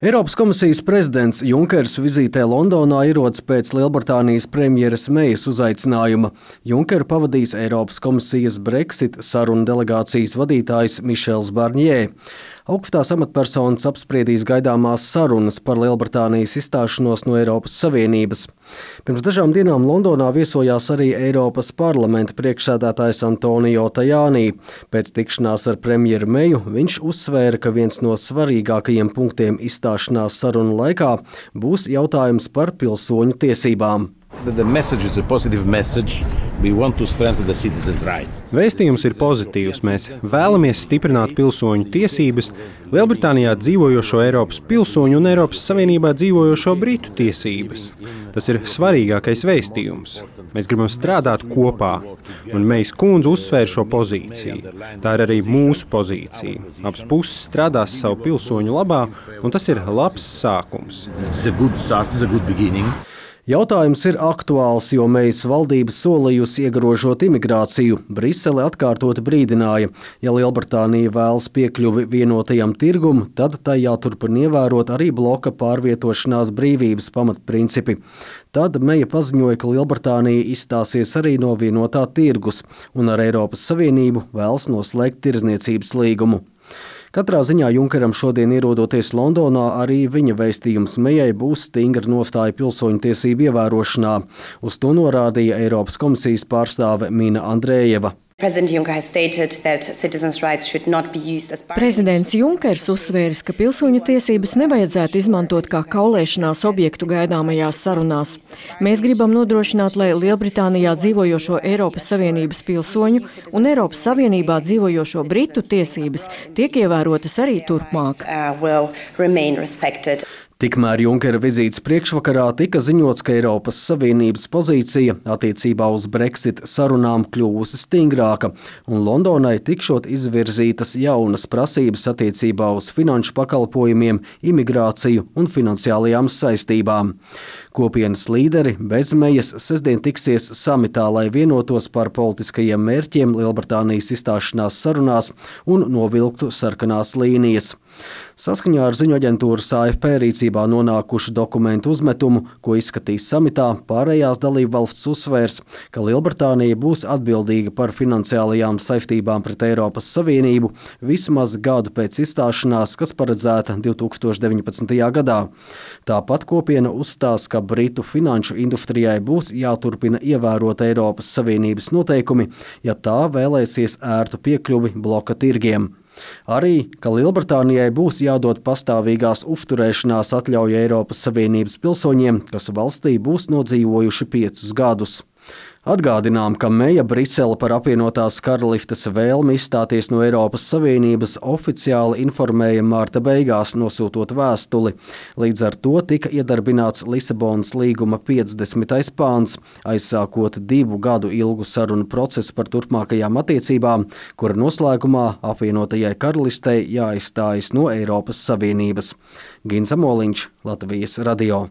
Eiropas komisijas prezidents Junkers vizītē Londonā ierodas pēc Lielbritānijas premjeras Mejas uzaicinājuma. Junkeru pavadīs Eiropas komisijas Brexit sarunu delegācijas vadītājs Mišels Barņē. Augstās amatpersonas apspriedīs gaidāmās sarunas par Lielbritānijas izstāšanos no Eiropas Savienības. Pirms dažām dienām Londonā viesojās arī Eiropas parlamenta priekšsēdētājs Antonio Tajani. Pēc tikšanās ar premjeru Meju viņš uzsvēra, ka viens no svarīgākajiem punktiem izstāšanās sarunu laikā būs jautājums par pilsoņu tiesībām. Vēstījums ir pozitīvs. Mēs vēlamies stiprināt pilsoņu tiesības, Lielbritānijā dzīvojošo Eiropas pilsoņu un Eiropas Savienībā dzīvojošo britu tiesības. Tas ir svarīgākais vēstījums. Mēs gribam strādāt kopā, un Mejas kundze uzsvēra šo pozīciju. Tā ir arī mūsu pozīcija. Abas puses strādās savu pilsoņu labā, un tas ir labs sākums. Jautājums ir aktuāls, jo Mejas valdība solījusi iegrožot imigrāciju. Brisele atkārtoti brīdināja, ja Lielbritānija vēlas piekļuvi vienotajam tirgum, tad tai jāturpina ievērot arī bloka pārvietošanās brīvības pamatprincipi. Tad Meja paziņoja, ka Lielbritānija izstāsies arī no vienotā tirgus un ar Eiropas Savienību vēlas noslēgt tirdzniecības līgumu. Katrā ziņā Junkeram šodien ierodoties Londonā, arī viņa vēstījums Mejai būs stingra nostāja pilsoņu tiesību ievērošanā. Uz to norādīja Eiropas komisijas pārstāve Mina Andrejeva. Prezidents Junkers uzsvēris, ka pilsoņu tiesības nevajadzētu izmantot kā kaulēšanās objektu gaidāmajās sarunās. Mēs gribam nodrošināt, lai Lielbritānijā dzīvojošo Eiropas Savienības pilsoņu un Eiropas Savienībā dzīvojošo britu tiesības tiek ievērotas arī turpmāk. Tikmēr Junkera vizītes priekšvakarā tika ziņots, ka Eiropas Savienības pozīcija attiecībā uz Brexit sarunām kļuvusi stingrāka, un Londonai tikšot izvirzītas jaunas prasības attiecībā uz finanšu pakalpojumiem, imigrāciju un finansiālajām saistībām. Kopienas līderi bez Mejas sestdien tiksies samitā, lai vienotos par politiskajiem mērķiem Lielbritānijas izstāšanās sarunās un novilktu sarkanās līnijas. Saskaņā ar ziņu aģentūras AFP rīcībā nonākušu dokumentu uzmetumu, ko izskatīs samitā, pārējās dalībvalstis uzsvērs, ka Lielbritānija būs atbildīga par finansiālajām saistībām pret Eiropas Savienību vismaz gadu pēc izstāšanās, kas paredzēta 2019. gadā. Tāpat kopiena uzstās, ka Britu finanšu industrijai būs jāturpina ievērot Eiropas Savienības noteikumi, ja tā vēlēsies ērtu piekļuvi bloka tirgiem. Arī, ka Lielbritānijai būs jādod pastāvīgās uzturēšanās atļauja Eiropas Savienības pilsoņiem, kas valstī būs nodzīvojuši 5 gadus. Atgādinām, ka Meja Brisele par apvienotās karalistes vēlmi izstāties no Eiropas Savienības oficiāli informēja marta beigās, nosūtot vēstuli. Līdz ar to tika iedarbināts Lisabonas līguma 50. pāns, aizsākot 2 gadu ilgu sarunu procesu par turpmākajām attiecībām, kura noslēgumā apvienotajai karalistei jāizstājas no Eiropas Savienības. Gins Amoliņš, Latvijas radio.